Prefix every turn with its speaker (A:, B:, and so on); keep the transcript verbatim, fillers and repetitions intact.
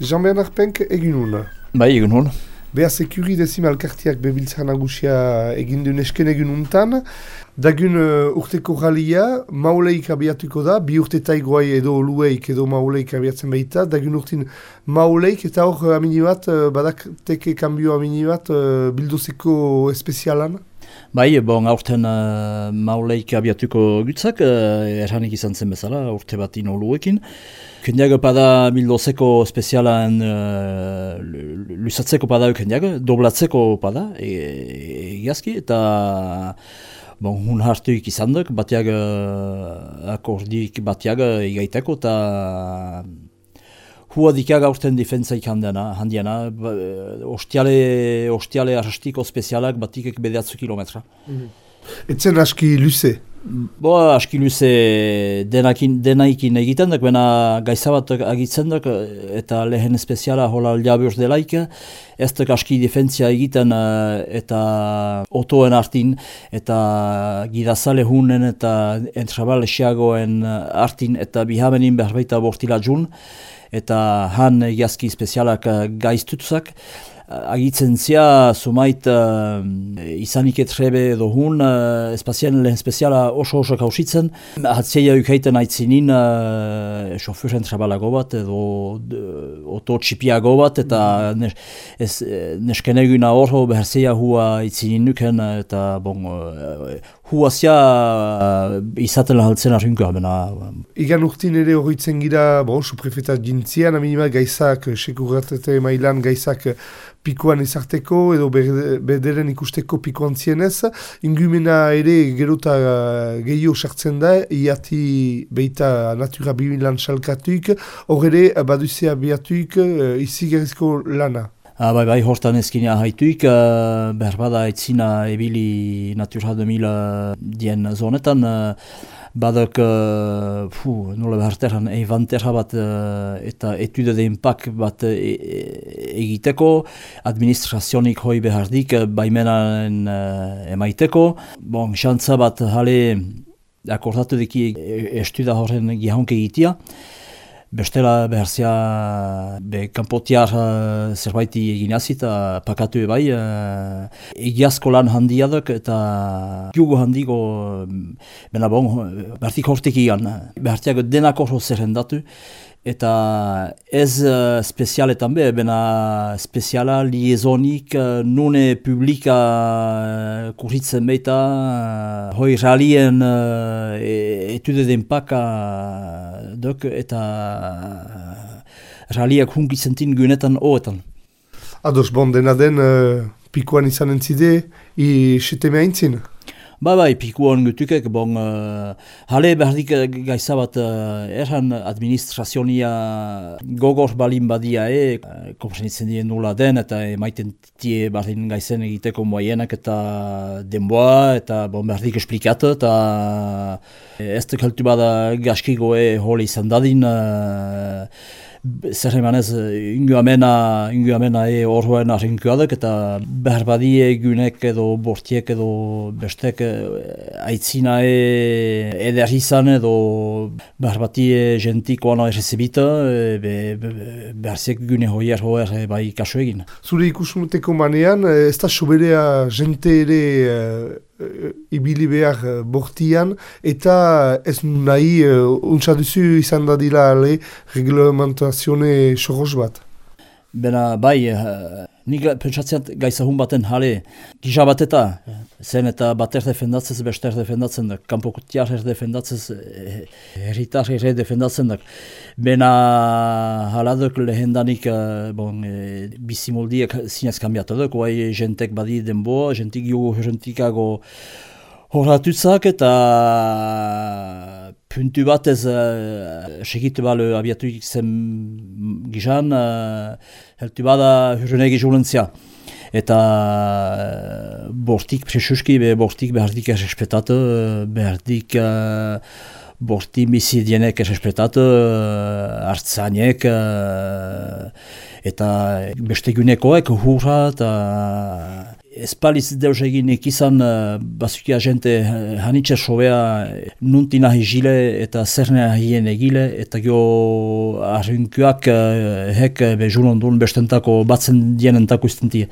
A: Jean-Bernard Penk egin hona.
B: Bai, egin hona.
A: Beha Sekuri Dezimal Elkarteak bebiltzan nagusia egin duen esken egin untan. Dagun uh, urteko ralia, mauleik abiatuko da, bi urte taigoai edo lueik edo mauleik abiatzen baita. Dagun urtin mauleik eta hor amini bat, uh, badak teke kambio amini bat uh, bilduzeko espezialan.
B: Bai, bon, aurten uh, mauleik abiatuko gutzak, uh, erranik izan zen bezala, urte bat ino luekin. Kendiago pada bildozeko spezialan uh, lusatzeko pada kendiago, doblatzeko pada, egiazki, e, eta bon, hun hartuik izan duk, batiag uh, akordik batiag egaiteko, eta hua dikaga urten defentzaik handiana, handiana ba, ostiale, ostiale arrastiko spezialak batikek bedeatzu kilometra.
A: Mm-hmm. Etzen aski luze?
B: Bo, aski luze denakin, denaikin egiten duk, baina gaizabat agitzen duk, eta lehen speziala hola aldiabuz delaik, ez duk aski defentzia egiten eta otoen artin, eta gidazale hunen eta entrabal esiagoen artin, eta bihamenin behar bortila jun, eta han egiazki spezialak gaiztutuzak. Agitzen zia, sumait uh, izanik etrebe edo hun, uh, espazien lehen speziala oso-oso kausitzen. Hatzeia ukaiten aitzinin uh, sofuren trabalago bat edo oto txipiago bat, eta nes, ez, neskeneguna horro beherzeia hua aitzinin nuken, eta bon, uh, hua zia uh, izaten lahaltzen arrunkoa.
A: Igan urtin ere horretzen gira, bon, suprefetat jintzian, aminimal gaizak, sekuratete mailan gaizak pikoan ezarteko edo bederen ikusteko pikoan zienez, ingumena ere gerota gehiago sartzen da, iati beita natura bimilan salkatuik, hor ere baduzea biatuik izigerizko lana.
B: Ah, bai, bai, hortan ezkina haituik, uh, behar bada etzina ebili Natura deux mille dien zonetan, uh, badak, uh, fu, nola behar terran, evanterra bat uh, eta etude de impak bat e e egiteko, administrazionik hoi behardik baimenan uh, emaiteko. Bon, xantza bat jale akordatu deki estuda horren gihonke egitea. Bestela beharzia be kanpotiar uh, zerbaiti eginazit, eta pakatu ebai. Uh, egiazko lan handia duk eta jugo handiko, bena bon, behartik hortik egan. Behartiak denak horro zerrendatu. Eta ez uh, spezialetan be, bena speziala liezonik uh, nune publika uh, kurritzen beita, uh, hoi realien uh, etude denpaka uh, dok, eta uh, realiak hunkizentin gunetan oetan.
A: Ados, bon, dena den uh, pikoan izan entzide, i seteme haintzin?
B: Ba, bai, pikuan gutukek, bon, uh, hale behardik gaizabat uh, erran administrazionia gogor balin badia e, uh, komprenitzen dien nula den, eta emaiten tie bardin gaizen egiteko moienak eta denboa, eta bon, behardik esplikatu, eta ez duk heltu bada gaskigoe holi izan dadin, uh, zer emanez, ingo amena, ingo amena e horroen arrinkoadak, eta behar badie gunek edo bortiek edo bestek aitzina e eder izan edo behar batie gentikoan errezibita, be, be, behar zek gune hoier hoer bai kaso egin.
A: Zure ikusmuteko manean, ez da soberea jente ere ibili behar bortian, eta ez nahi uh, untsa duzu izan dadila ale reglamentazione soros bat.
B: Bena, bai, uh, nik pentsatzeat gaizahun baten jale, gisa bat eta, zen eta bater defendatzez, bester defendatzen da, kanpokotiar er defendatzez, herritar ere defendatzen da. Bena haladok lehendanik uh, bon, e, bizimoldiak zinez kambiatu duk, guai jentek badi denboa, jentik jugu jentikago horatutzak, eta puntu batez uh, segitu balu abiatuik zen gizan, uh, heltu bada hurrenegi julentzia. Eta uh, bortik presuski, be bortik behardik errespetatu, behardik uh, borti bizidienek errespetatu, uh, hartzainek, uh, eta beste gunekoek hurra, eta espaliz deus egin ikizan uh, bazukia jente hanitxe sobea nunti nahi jile eta zernea hien egile eta gio arrinkuak uh, hek be julondun bestentako batzen dienentako istentie.